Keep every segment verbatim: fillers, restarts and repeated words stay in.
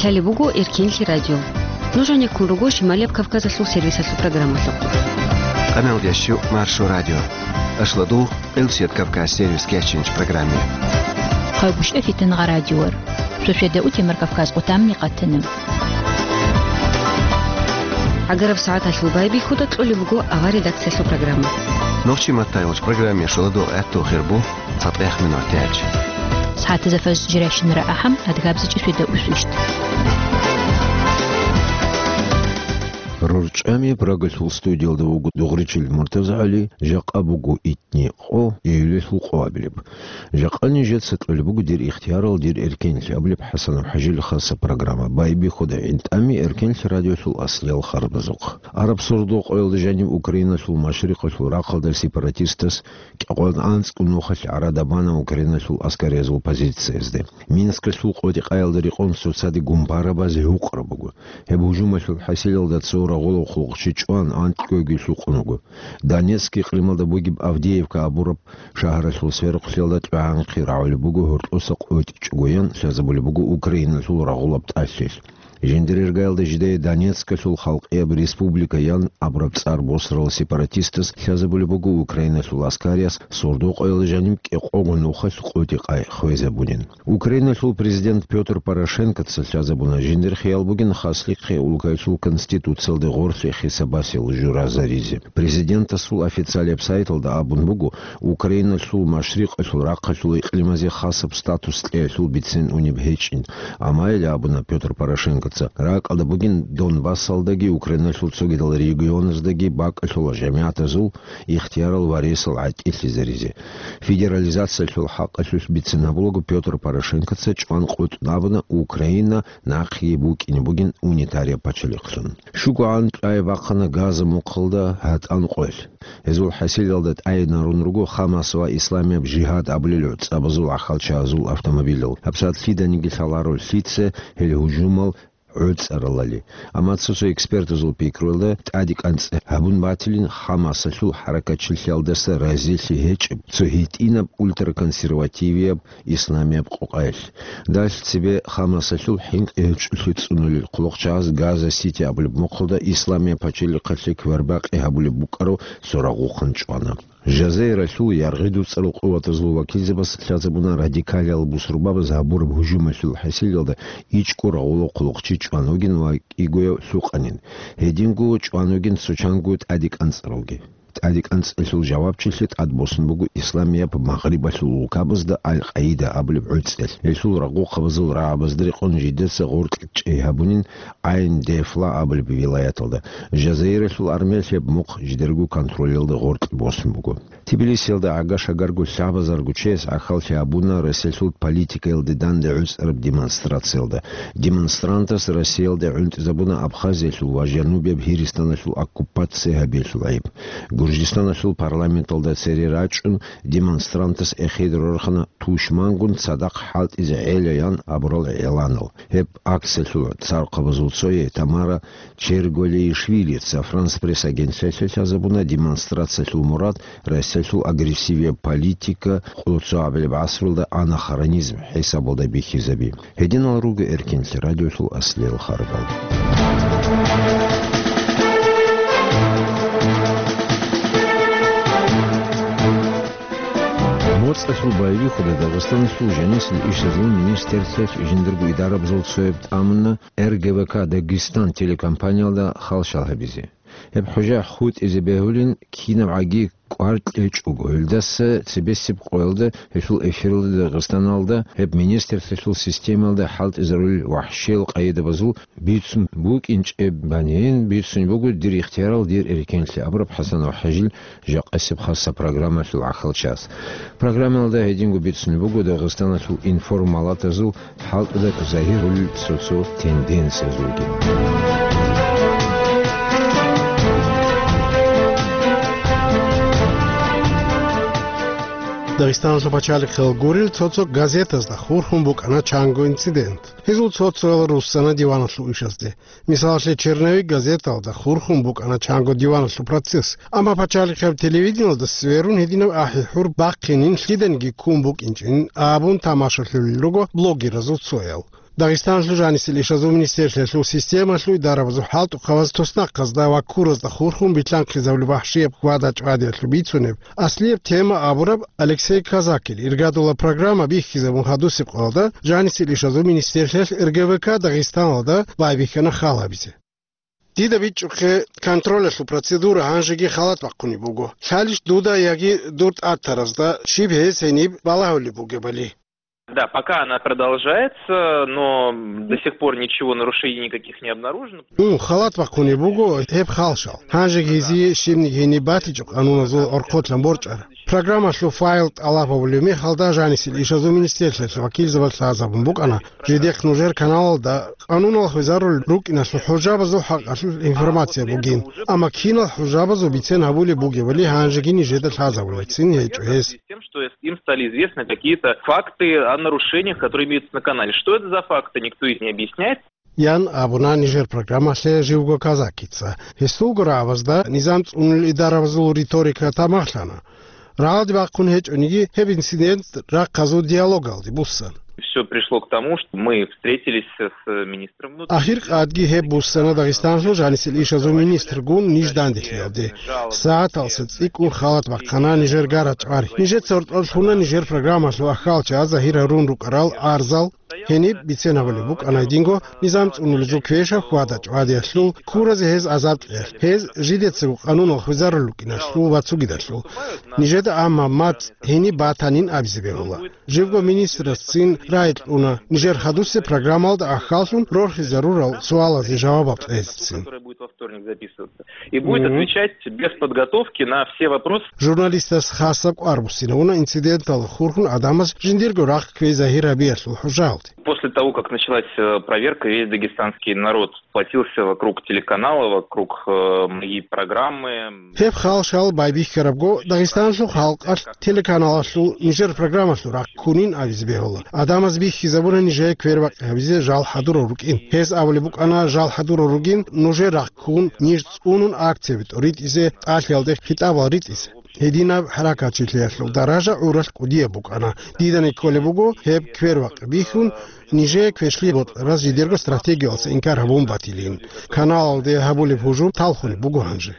Гьале буго Эркенлъи радио. Нуж гьанеккун руго Шималияб Кавказалъул сервисалъул программалъухъ. Къамел ящу Маршо радио. Ашладу Элсият Кавказ сервис кечинч программе. Хъайгъуш эфитан гъа радиор. Сосведа утемар Кавказ къутамни къатана. Агараб сагӀаталъул байбихьуда кьолеб буго авар редакциялъул программа. Нохчи маттайолч программе шоладо гӀатту хирбу. ЦатӀех минутач. СагӀатазда фажр жиращинара ахӀам, адгабзичӀи суда усвищт. РорчӀами Прагалъул студиялда вуго Дугъричил МуртазагӀали, жакъа буго итни къо, июлалъул къоабилеб. Жакъа нижеца кьолеб буго дир ихтиярал, дир эркенлъи абулеб ХӀасанов ХӀажил хаса программа. Байбихьуда гӀинтӀами Эркенлъи радиолъул аслиял харбазухъ. Араб сордо къоялда жаниб Украиналъул машрикъалъул рахъалда сепаратистас кӀикъоялда анцӀго нухалъ гӀарада бана Украиналъул аскариязул позициязде. Минскалъул къотӀи-къаялда рекъон цоцаде гумбарабаз гьукъараб буго. Гьеб гьужумалъул хӀасилалда цо рагъулав хъулухъчи чӀван, анкьгоги лъукъун вуго. Донецк икълималда бугеб Авдеевка абураб шагьаралъул сверухълъиялда тӀагӀанхъе рагӀулеб буго гьоркьоса къотӀичӀогоян лъазабулеб буго Украиналъул рагъулаб тӀалъилъ. Жиндирергаялда жидее Донецкалъул халкъияб республика ян абураб цӀар босарал сепаратистас лъазабулеб буго Украиналъул аскариялъ сордо къоялда жаниб кӀикъого нухалъ къотӀи-къай хвезабунин. Украиналъул президент Пётр Порошенкоца лъазабуна жиндир хиял бугин хаслихъе улкаялъул конституциялде гъорлъе хисабасел журазаризе. Президентасул официалияб сайталда абун буго, Украиналъул машрикъалъул рахъалъул икълимазе хасаб статус кьеялъул бицен унеб гьечӀин. Амма гьеле абуна Пётр Порошенкоца, ракӀалда бугин Донбассалдаги Украиналъул цогидал регионаздаги бакӀалъула жамигӀатазул ихтиярал ва ресал гӀатӀилъизаризе. Федерализациялъул хӀакъалъулъ бицен гьабулаго Пётр Порошенкоца чӀван къотӀун абуна Украина нахъеги букӀине бугин унитарияб пачалихълъун. ШугогӀан тӀай бахъана Газа мухъалда гьатӀан къоялъ. Гьезул хӀасилалда тӀайинарун руго Хамас ва Исламияб жигьад абулел гӀуцӀабазул ахалчагьазул автомобилал. ГьабсагӀат лъиданиги лъаларо лъица гьел гьужумал гӀуцӀаралали. Амма цо-цо экспертазул пикруялда, тӀаде кӀанцӀ гьабун батилин Хамасалъул хӀаракатчилъиялдаса разилъи гьечӀеб цо гьитӀинаб ультраконсервативияб исламияб къокъаялъ. Далъ цебе Хамасалъул хӀинкъи гьечӀолъи цӀунулел хъулухъчагьаз Газа-Сити абулеб мухъалда исламияб пачалихъалъе квербакъи гьабулеб букӀарав цо рагъухъан чӀвана. Жазаиралъул яргъи-дуцӀарал къуватазул вакилзабаз лъазабуна радикалиял бусурбабаз гьабураб гьужумалъул хӀасилалда ичӀго рагъулав хъулухъчи чӀван вугин ва кӀигояв лъукъанин. Гьединго чӀван вугин цо чанго тӀаде кӀанцӀаралги. ТӀаде кӀанцӀалъул жавабчилъи тӀадбосун буго Исламияб Магърибалъул улкабазда Аль-Къаида абулеб гӀуцӀел. Гьелъул рагъухъабазул рагӀабазда рекъон жидеца гъоркь чӀей гьабунин Айн-де-Фла абулеб вилаяталда. Жазаиралъул армиялъ гьеб мухъ жидерго контролялда гъоркь босун буго. Тбилисиялда гӀага-шагарго лъабазарго чияс гӀахьаллъи гьабуна Россиялъул политикаялде данде гӀуцӀараб демонстрациялда. Демонстрантас Россиялде гӀунтӀизабуна Абхазиялъул ва Жанубияб Гьиристаналъул оккупация гьабиялъул гӀайиб. Гуржистаналъул парламенталда цере рачӀун, демонстрантас эхеде рорхана тушмангун цадахъ хӀалтӀизе гӀела ян абурал гӀеланал. Гьеб акциялъул цархъабазул цое Тамара Черголеишвилица Франс Пресс агентствалъе лъазабуна демонстрациялъул мурад Россиялъул агрессивияб политика къуллъугьабилеб гӀасрулда анахронизм хӀисабалда бихьизаби. Гьединал руго Эркенлъи радиолъул аслиял харбал. МоцӀалъул байбихьуда Дагъистаналъул жанисел ишазул министрлъиялъ жиндирго идарабазул цояб тӀамуна Р Г В К Дагестан телекомпаниялда халщал гьабизе. Гьеб хӀужа хутӀизе бегьулин кинабгӀаги кӀвар кьечӀого, гьелдаса цебесеб къоялда гьелъул эфиралда Дагъистаналда гьеб министрлъиялъул системалда хӀалтӀизарулел вахӀшиял къайдабазул бицун букӀинчӀеб банин, бицун буго дир ихтиярал, дир эркенлъи абураб ХӀасанов ХӀажил жакъасеб хасса программалъул гӀахьалчас. Программалда гьединго бицун буго Дагъистаналъул информалатазул хӀалтӀуда загьирулел цо-цо тенденциязулги. Дагъистаналъул пачалихъал гурел цо-цо газетазда хурхун букӀана чанго инцидент. Гьезул цо-цоял руссана диваналъул ишазде. Мисалалъе, «Черновик» газеталда хурхун букӀана чанго диваналъул процесс. Амма пачалихъаб телевидениялда сверун гьединаб ахӀи-хӀур бахъинин, лъиданиги ккун букӀинчӀин абун тамашалъулел руго блогеразул цоял. Дагъистаналъул жанисел ишазул министерствоялъул системалъул дарабазул хӀалтӀухъабаз туснахъазда ва ккуразда хурхун билълъанхъизабулеб вахӀшияб хьвада-чӀвадиялъул бицунеб аслияб тема абураб Алексей Казакил иргадула программа бихьизабун хадусеб къоялда жанисел ишазул министерствоялъ РГВК Дагъистаналда байбихьана хал гьабизе. Дида бичӀчӀухъе контролялъул процедура гьанжеги халат бахъунеб буго. Лъалищ дуда яги дур тӀатаразда щиб гьез гьениб балагьулеб бугебали? Да, пока она продолжается, но до сих пор ничего, нарушений никаких не обнаружено. Ун, халат бахъунеб буго гьеб халшал. Гьанжеги гьезие щибниги гьениб батичӀо къануназул гӀорхъолъан борчӀараб. Программалъул файл тӀалаб гьабулеб мехалда жанисел ишазул министерствоялъ вакилзабаз лъазабун букӀана, жидехъ нужер каналалда къануналъ хвезарулел рукӀиналъул хӀужабазул хӀакъалъулъ информация бугин, амма кинал хӀужабазул бицен гьабулеб бугебали гьанжеги нижеда лъазабулебцин гьечӀо гьес. Тем, что им стали известны какие-то факты о нарушениях, которые имеются на канале. Что это за факты, никто их не объясняет. Ян абуна нижер программалъе живго Казакица. Гьесулго рагӀабазда низам цӀунулел идарабазул риторика тамахлъана. Рагьалде бахъун гьечӀониги, гьеб инцидент рахъазул диалогалде буссан. Всё пришло к тому, что мы встретились с министром внутренних дел. Ахир къадги гьеб буссана Дагъистаналъул жанисел ишазул министргун ниж данделъиялде. СагӀаталса цӀикӀкӀун халат бахъана нижер гарачӀвар. Нижеца гьоркьор лъуна нижер программалъул ахьалчагӀаз загьир гьарун рукӀарал арзал. Гьениб бицен гьабулеб букӀана гьединго низам цӀунулезул квешаб хьвада-чӀвадиялъул, ккуразе гьез азаб кьеялъ, гьез жидецаго къануналъ хвезарулел рукӀиналъул ва цогидалъул. Нижеда амма мацӀ гьениб батанин абизе бегьула. Живго министрасцин рагӀи кьуна нижер хадусеб программалда ахьаллъун рорхизарурал суалазе жавабал кьезецин. И будет Мгм. Отвечать без подготовки на все вопросы. Журналистас хасаб кӀвар буссинавуна инциденталда хурхун гӀадамаз жиндирго рахъ кквей загьир гьабиялъул хӀужаялде. После того, как началась, э, проверка, весь дагестанский народ сплотился вокруг телеканала, вокруг, э, моей программы. Гьеб халшал байбихьарабго Дагъистаналъул халкъалъ телеканалалъул нижер программалъул рахъ ккунин абизе бегьула. ГӀадамаз бихьизабуна нижее квербакъи гьабизе жал хӀадурал рукӀин. Гьез абулеб букӀана жал хӀадурал ругин, нужер рахъ ккун, ниж цӀунун акцияби тӀоритӀизе, тӀалъиялде хитӀабал ритӀизе. Гьединаб хӀаракатчилъиялъул даража гӀуралъ кӀудияб букӀана. Дидани кколеб буго гьеб квербакъи бихьун, нижее квешлъи бокьараз жидерго стратегиялъа инкар гьабун батилин. Каналалде гьабулеб гьужум талхунеб буго гьанже.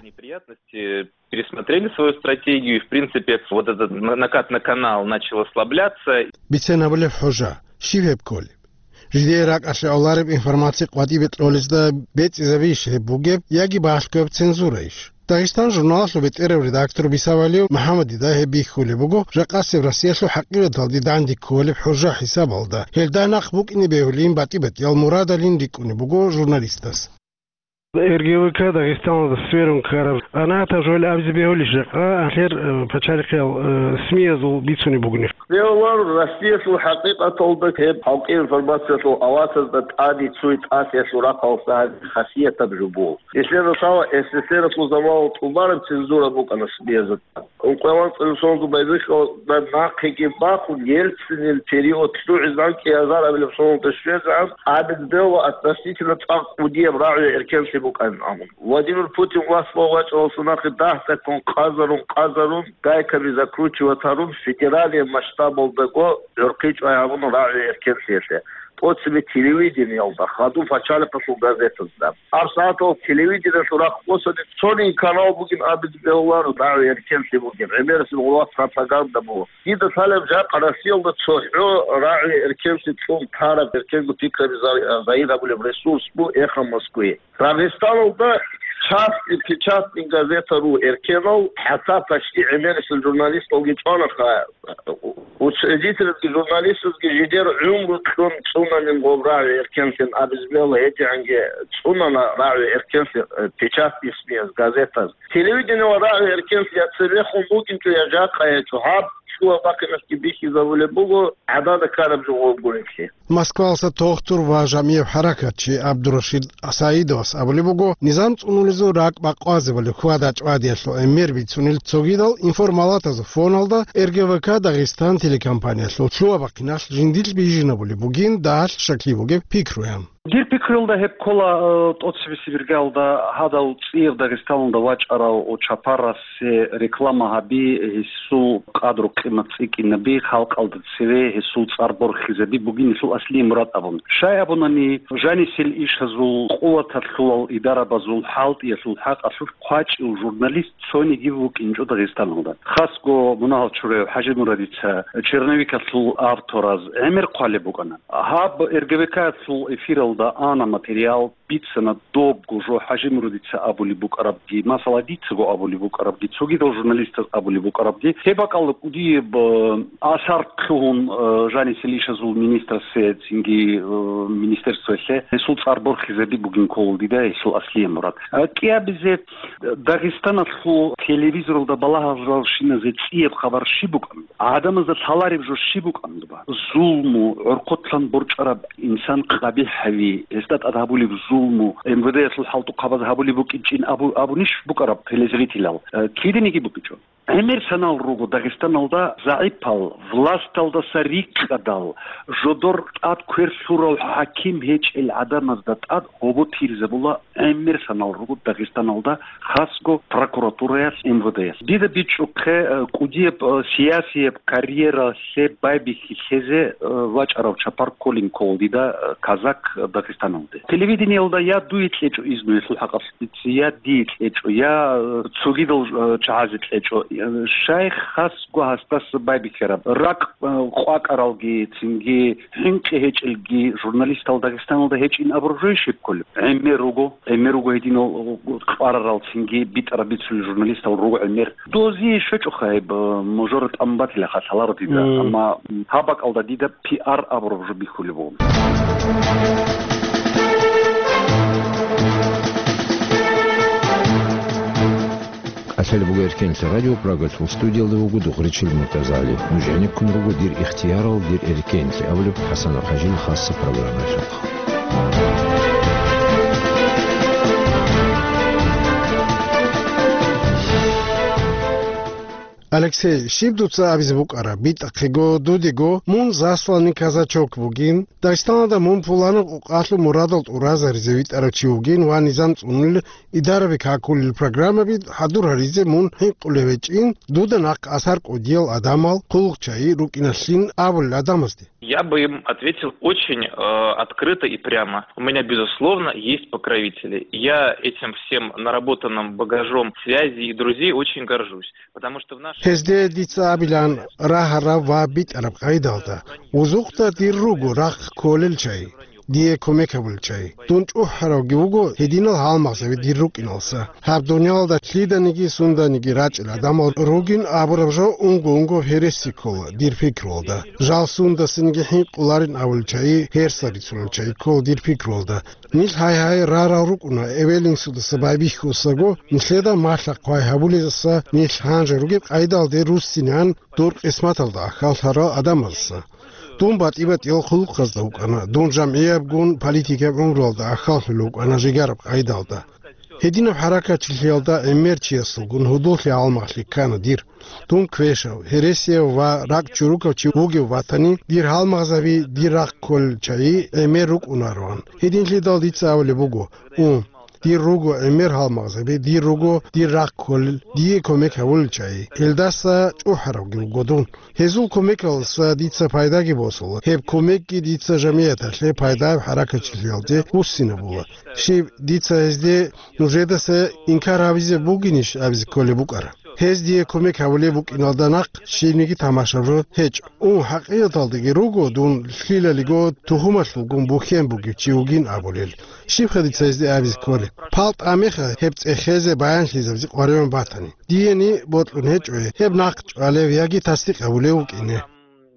Пересмотрели свою стратегию, и, в принципе, вот этот на-, накат на канал начал ослабляться. Бицен гьабулеб хӀужа, щиб гьеб кколеб? Жидее ракӀалъе авлареб информация къватӀибе кьолезда бецӀизабищ гьеб бугеб яги балъгояб цензураищ? Дагъистан журналалъул бетӀерав редактор Бисавалиев МухӀаммадида гьеб бихьулеб буго, жакъасеб Россиялъул хӀакъикъаталде данде кколеб хӀужа хӀисабалда, гьелда нахъ букӀине бегьулин батӀи-батӀиял мурадалин рикӀкӀунеб буго журналистас. РГВК Дагъистаналда сверун ккараб анатаб жо абизе бегьулищ жакъа, гьалъер, э, пачалихъиял, э, СМИ-язул бицунеб бугони. Бегьуларо, Россиялъул хӀакъикъаталда гьеб халкъи информациялъул авасазда тӀаде цуй тӀасиялъул рахъалъа гьабизе хасиятаб жо буго. Нилъер росала СССР-алъул заманалда тӀубараб цензура букӀана СМИ-язда. Ункъоялда цӀалисонго байбихьалда нахъеги бахун, Ельцинил период лъугӀизегӀан кӀиазар абилеб соналда щвезегӀан, абизе бегьула относительно цӀакъ кӀудияб рагӀи-эркенлъи букӀанин абун. Владимир Путин власть вачӀаралдаса нахъе дагь-дагьккун къазарун-къазарун, гайкаби закручивать гьарун, федералияб масштабалдаго гӀурхъи чӀвай гьабуна рагӀи-эркенлъиялъе. ТӀоцебе телевидениялда, хадуб пачалихъалъул газетазда. ГьабсагӀатал телевидениялъул рахъ босани цониги канал бугин абизе бегьуларо, рагӀи-эркенлъи бугин, гӀемерисеб гъулат пропаганда буго. Дида лъалеб жакъа Россиялда цохӀо рагӀи-эркенлъи цӀун тараб эркенго пикраби за-, загьир гьабулеб ресурс буго «Эхо Москвы». Дагъистаналда частный печатный газета ру эркенал, хӀатта почти гӀемерисел журналисталги чӀванаха. Учредительги, журналистазги жидер гӀумру кьун цӀунанин гъоб рагӀи-эркенлъин абизе бегьула, гьедигӀанги цӀунана рагӀи-эркенлъи, э, печатный СМИ-яз, газетаз. Телевидение ва рагӀи-эркенлъи я цебехун букӀинчӀо, я жакъа гьечӀо, гьаб лъугьа-бахъиналъги бихьизабулеб буго гӀадада ккараб жо гъобгурелъи. Москвалъа тохтур ва жамигӀ хӀаракатчи ГӀабдурашид Саидовас абулеб буго, низам цӀунулезул ракӀ бакъвазабали хьвада-чӀвадиялъул гӀемер бицунел цогидал информалатазул фоналда РГВК Дагъистан телекомпаниялъул лъугьа-бахъиналъ жиндилъ бижинабулеб бугин дагьалъ щаклъи бугеб пикруян. Дир пикруялда гьеб ккола, э, тӀоцебесеб иргаялда гьадал цӀияб Дагъистаналда вачӀарав чапарасе реклама гьаби, гьесул къадру-къимат цӀикӀкӀинаби, халкъалда цеве гьесул цӀар борхизаби бугин гьесул Аслие Мурад абун. Щай абунани, жанисел ишазул, къуваталъулал идарабазул, хӀалтӀиялъул хӀакъалъулъ хъвачӀев журналист цониги вукӀинчӀо Дагъистаналда. Хасго мунагьал чураяв ХӀажимурадица черновикалъул автораз гӀемер хъвалеб букӀана. Гьаб РГВК-ялъул эфиралда ана материал, бицана добго жо ХӀажимурадица абулеб букӀарабги, масала, дицаго абулеб букӀарабги, цогидал журналистаз абулеб букӀарабги. Гьеб бакӀалда кӀудияб, э, асар лъугьун, э, жанисел ишазул министрасе, цинги, э, министерствоялъе гьесул цӀар борхизаби бугин ккола дида гьесул Аслие Мурад. Э, кӀиабизе Дагъистаналъул телевизоралда балагьаралщиназе цӀияб хабар щиб букӀан? ГӀадамазда лъалареб жо щиб букӀан? Зулму, гӀорхъотлъан борчӀараб инсан къабихӀ гьави, гьесда тӀад гьабулеб зулму, МВД-ялъул хӀалтӀухъабаз гьабулеб букӀинчӀин абу-, абунищ букӀараб телезрителал? Э, киданиги букӀинчӀо. ГӀемер санал руго Дагъистаналда загӀипал, власталдаса рикӀкӀадал, жодор тӀад квер лъурав хӀаким гьечӀел гӀадамазда тӀад гьобо тирзабула гӀемер санал руго Дагъистаналда, хасго прокуратураялъ, МВД-ялъ. Дида бичӀчӀухъе, э, кӀудияб, э, сиясияб карьералъе байбихьи лъезе, э, вачӀарав чапар кколин ккола дида, э, казак Дагъистаналде. Телевидениялда я дуе кьечӀо изну гьелъул хӀакъалъулъ, я дие кьечӀо, я, э, цогидал, э, чагӀазе кьечӀо. Э, щай хасго гьасдаса байбихьараб? Ракъ, э, къвакӀаралги, цинги хӀинкъи гьечӀелги журналистал Дагъистаналда гьечӀин абураб жойищ гьеб кколеб? ГӀемер руго, гӀемер руго гьединал кьварарал, цинги битӀараб бицулел журналистал руго гӀемер. Дозие щвечӀоха гьеб, э, мужура тӀамун батилаха лъаларо дида, Мм. амма, м, гьаб бакӀалда дида пиар абураб жо бихьулеб буго. КӀалъалеб буго Эркенлъи радио, Прагалъул студиялда вуго Дугъричил МуртазагӀали. Нуж гӀенеккун руго «Дир ихтиярал, дир эркенлъи» абулеб ХӀасанов ХӀажил хасса программаялъухъ. Алексей, щиб дуца абизе букӀараб? БитӀахъего, дудего, мун засланный казачок вугин, Дагъистаналда мун пуланаб къукъалъул мурадал тӀуразаризе витӀарав чи вугин ва низам цӀунулел, идараби какулел программаби хӀадур гьаризе мун хӀинкъулев гьечӀин, дуда нахъ асар кӀудиял гӀадамал, хъулухъчагӀи рукӀиналъин абулел гӀадамазде. Я бы им ответил очень, э, открыто и прямо. У меня, безусловно, есть покровители. Я этим всем наработанным багажом связей и друзей очень горжусь, потому что в наше Гьезде дица абилан рагьараб ва битӀараб къайдалда, вузухъда дир руго рахъ кколел чагӀи, дие кумек гьабулел чагӀи. Дун чӀухӀаравги вуго гьединал гьалмагъзаби дир рукӀиналса. Гьаб дуниялалда лъиданиги сунданиги рачӀел гӀадамал ругин абураб жо унго-унго гьереси ккола дир пикруялда. Жал сундасаниги хӀинкъуларин абулел чагӀи, гьерса рицунел чагӀи ккола дир пикруялда. Нилъ гьай-гьай рарал рукӀуна, эвел-инсудаса байбихьусаго, нилъеда малъа-хъвай гьабулезаса нилъ гьанже ругеб къайдалде руссинеан дур къисматалда ахьаллъарал гӀадамазаса. Дун батӀи-батӀиял хъулухъазда вукӀана, дун жамгӀиябгун политикаб гӀумруялда ахьаллъулев вукӀана жигараб къайдалда. Гьединаб хӀаракатчилъиялда гӀемер чиясулгун гьудуллъи гьалмагълъи ккана дир. Дун квешав, гьересияв ва ракӀчӀурукав чи вугев ватани, дир гьалмагъзаби дир рахъ кколел чагӀи гӀемер рукӀунароан. Гьединлъидал дица абулеб буго: у, дир руго гӀемер гьалмагъзаби, дир руго дир рахъ кколел, дие кумек гьавулел чагӀи. Гьелдаса чӀухӀаравги вуго дун. Гьезул кумекалдаса дица пайдаги босула. Гьеб кумекги дица жамияталъе пайдаяб хӀаракатчилъиялде буссинабула. Щиб, дица гьезде нужедаса инкар гьабизе бугинищ абизе кколеб букӀара? Гьез дие кумек гьабулеб букӀиналда нахъ щибниги тамашаб жо гьечӀо. Ун, хӀакъикъаталдаги руго дун лъилалиго тухумалъулгун бухьен бугев чи вугин абулел. Щибха дица гьезде абизе кколеб? ПалтӀа меха гьеб цӀехезе баянлъизабизе къваригӀун батани. Диени бокьун гьечӀо гьеб нахъ чӀвалев яги тасдикъ гьабулев вукӀине.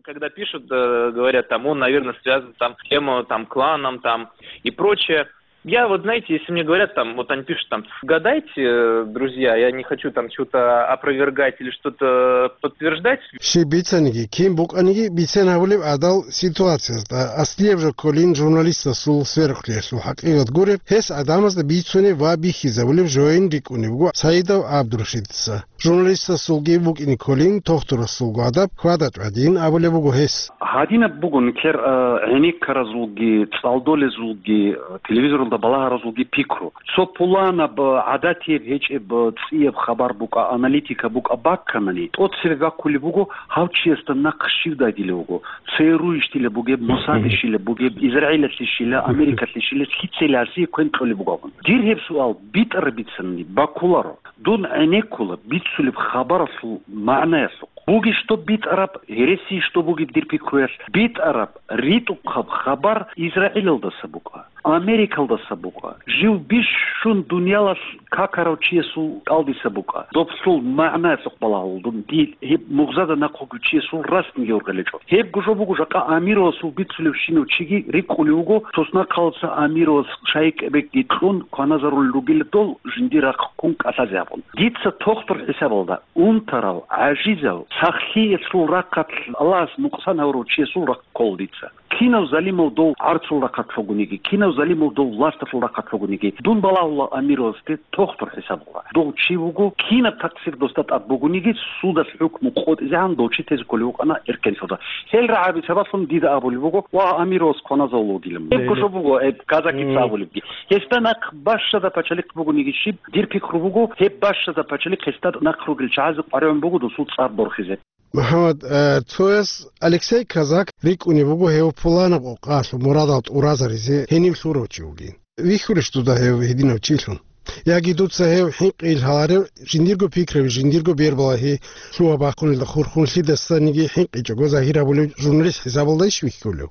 Когда пишут, э, говорят, там, он, наверное, связан там с тем, э, там, кланом, там, и прочее. Я вот, знаете, если мне говорят, там, вот они пишут, там, гадайте, э, друзья, я не хочу там что-то опровергать или что-то подтверждать. Щиб бицаниги, кин букӀаниги бицен гьабулеб гӀадал ситуациязда, аслияб жо кколин журналистасул сверухълъиялъул хӀакъикъат гуреб, гьес гӀадамазда бицунеб ва бихьизабулеб жоян рикӀкӀунеб буго Саидов ГӀабдурашидица. Журналистасулги букӀине кколин, тохтурасулго адаб хьвада-чӀвадин абулеб буго гьес. Гьадинаб буго нилъер, э, гӀенеккаразулги, цӀалдолезулги, э, телевизоралда балагьаразулги пикру. Цо пуланаб, гӀадатияб гьечӀеб, цӀияб хабар букӀа, аналитика букӀа бакканани, тӀоцебе баккулеб буго, гьав чиясда нахъ щив дайдилев вуго, ЦРУ-йищила бугеб, Мосадищила бугеб, Израилалъищила, Америкалъищила, лъицайила гьасие квен кьолеб буго абун. Дир гьеб суал битӀараб бицанани баккуларо. Дун гӀенеккула бицулеб хабаралъул магӀнаялъухъ. Бугищ доб битӀараб, гьереси ищ доб бугеб дир пикруялъ, битӀараб, ритӀухъаб хабар Израилалдаса букӀа, Америкалдаса букӀа, жив бищун дуниялалъ какарав чиясул кӀалдиса букӀа. Доблъул магӀнаялъухъ балагьулдун, дил гьеб мугъзада нахъ вугев чиясул расниги ургъелечӀо. Гьебго жо буго, жакъа Амировасул бицулевщинав чиги рикӀкӀулев вуго, соснахъалца Амировас шайикӀабекги кьун кваназарулел ругила дол жиндир рахъ ккун кӀалъазе абун. Дица тохтур хӀисабалда, унтарав, гӀажизав, сахлъиялъул рахъалъ Аллагьас нукъсан гьавурав чиясул рахъ ккола дица. Кинав залимав дов гӀарцул рахъалъ вугониги, кинав залимав дов власталъул рахъалъ вугониги, дун балагьула Амировасде тохтур хӀисабалда. Дов чи вуго, кинаб такъсир досда тӀад бугониги, судалъ хӀукму къотӀизегӀан дов чи тезе кколев вукӀана эркенлъуда. Гьел рагӀаби сабаблъун дида абулеб буго, ва Амировас кваназавулев вугилан. Гьебго жо буго, гьеб казакица абулебги. Гьесда нахъ бащада пачалихъ бугониги щиб, дир пикру буго, гьеб бащада пачалихъ гьесда нахъ ругел чагӀазе къваригӀун буго досул цӀар борхизе. МухӀаммад, э, цояс Алексей Казак рикӀкӀунеб буго гьев пуланаб къокъалъ мурадал тӀуразаризе гьенив лъурав чи вугин. Вихьулищ дуда гьев гьединав чилъун? Яги дуца гьев хӀинкъи илгьаларев, жиндирго пикраби, жиндирго бербалагьи лъугьа-бахъунелда хурхунлъидасаниги хӀинкъичӀого загьир гьабулев журналист хӀисабалдайищ вихьулев?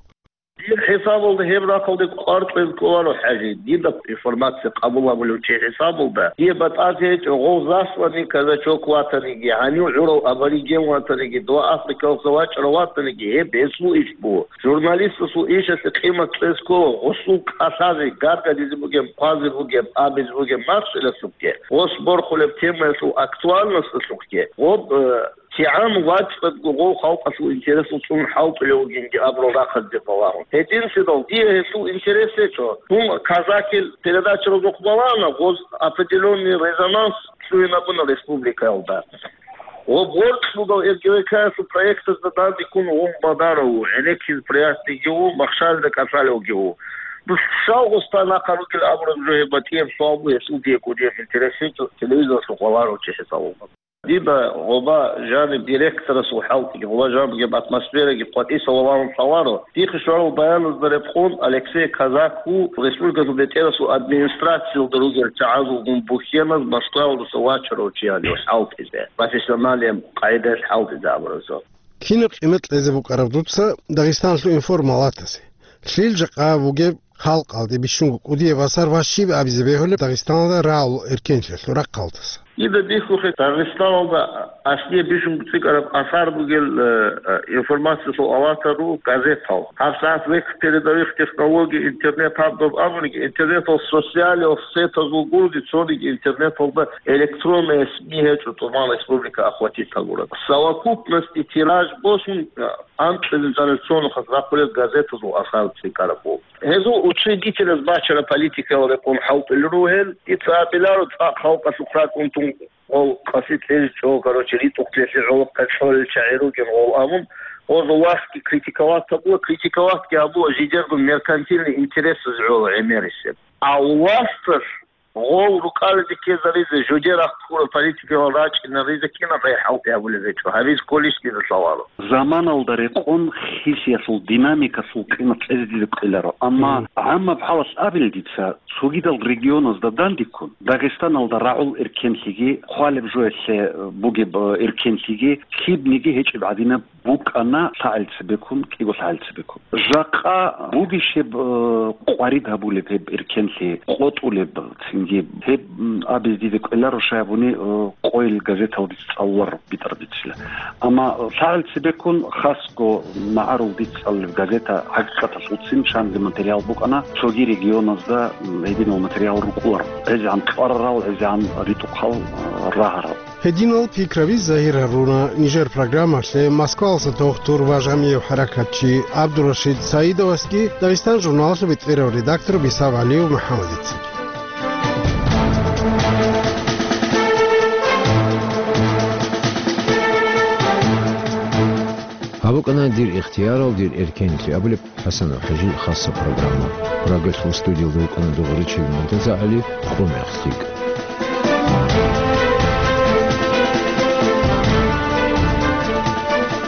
Дир хӀисабалда гьеб рахъалде кӀвар кьвез кӀоларо, ХӀажи, дида информация къабул гьабулев чи хӀисабалда. Дие батӀазе гьечӀо, гъов засланный казачок ватаниги, гьанив гӀурав абориген ватаниги, дова Африкалъа вачӀарав ватаниги, гьеб гьесул иш буго. Журналистасул ишалъе къимат кьез ккола, гъусул кӀалъазе, гаргадизе бугеб, хъвазе бугеб, абизе бугеб махщелалъухъе, гъос борхулеб темаялъул актуальносталъухъе, гъоб, э, кигӀан вачӀаго гъов халкъалъул интересал цӀун хӀалтӀулев вугинги абурал рахъалде балагьун. Гьединлъидал дие гьелъул интерес гьечӀо. Дун казакил передачаразухъ балагьана, гъоз определённый резонанс лъугьинабуна республикаялда. Ва борцӀлъудал РГВК-ялъул проектазда данде ккун вун Бадаров ву, гӀенеккизе приятныйги ву, махщалда кӀалъалевги ву. Дус щал гъоста нахъа ругел абураб жо гьеб батӀияб суал бу, гьелъул дие кӀудияб интерес гьечӀо, телевизоралъухъ валарав чи хӀисабалда. Дида гъоба жаниб директорасул хӀалтӀиги, гъоба жаниб бугеб атмосфераги къватӀиса валарун лъаларо. Дихъе щварал баяназда рекъон, Алексей Казак ву республикалъул бетӀерасул администрациялда ругел чагӀазулгун бухьеназ Москваялдаса вачарав чи гьанив хӀалтӀизе, профессионалияб къагӀидаялъ хӀалтӀизе абуразул. Кинаб къимат кьезе букӀараб дуца Дагъистаналъул информалатазе? Лъил жакъа бугеб халкъалде бищунго кӀудияб асар ва щиб абизе бегьулеб Дагъистаналда рагӀул эркенлъиялъул рахъалдаса? Дида бихьухъе, Дагъистаналда аслие бищунго цӀикӀкӀараб асар бугел, э, э, информациялъул алатар руго газетал. ГьабсагӀат век передовых технологий интернет гьаб доб абуниги, интернетал социалиялъ сетазул гурони цониги интернеталда электронные СМИ гьечӀо, тӀубан республика охватить гьабураб. Совокупности тираж босун, э, анкьизе жанир цо нухалъ рахъулел газетазул асар цӀикӀкӀараб буго. Гьезул учредителаз бачараб политикаялда рекъон хӀалтӀулел ругел, дица абиларо цӀакъ халкъалъухъ ракӀун тун гъол къаси кьезе чӀо, короче, ритӀухълъиялъе гӀолохъе кьолел чагӀи ругел гъол абун, гъозул властги критиковать гьабула, критиковатьги гьабула жидерго меркантильный интересаз гӀоло гӀемерисеб. А власталъ гъол рукӀализе ккезаризе жуде рахъ ккураб политикалал рачӀинаризе кинаб гӀей хӀалтӀи гьабулеб гьечӀо, гьабизе кколищ дида лъаларо. Заманалда рекъон хисиялъул динамикалъул къимат кьезе дида ккеларо, амма гӀаммаб хӀалалъ абил дица, цогидал регионазда дандеккун, Дагъистаналда рагӀул эркенлъиги, хъвалеб жоялъе бугеб эркенлъиги, лъибниги гьечӀеб гӀадинаб букӀана лъагӀел цебеккун, кӀиго лъагӀел цебеккун. Жакъа бугищеб, э, къварид гьабулеб гьеб эркенлъи, къотӀулеб цинги гьеб, м, абизе дида кӀвеларо, щай гьабуни, э, къойил газетал дица цӀалуларо битӀараб бицила. Амма, э, лъагӀел цебеккун хасго магӀарул дица цӀалулеб газета ХӀакъикъаталъулцин шанзе материал букӀана, цоги регионазда, м, гьединал материал рукӀуларо. ГӀезегӀан кьварарал, гӀезегӀан ритӀухъал, э, рагьарал. Гьединал пикраби загьир гьаруна нижер программалъе Москвалъа дохтур ва жамигӀ хӀаракатчи ГӀабдурашид Саидовасги, Дагъистан журналалъул бетӀерав редактор Бисав ГӀалиев МухӀаммадицаги. ВукӀана «Дир ихтиярал, дир эркенлъи» абулеб ХӀасанов ХӀажил хасса программа. Прагалъул студиялда вукӀана дугӀричил Муртаза ГӀали, хъумехълъи.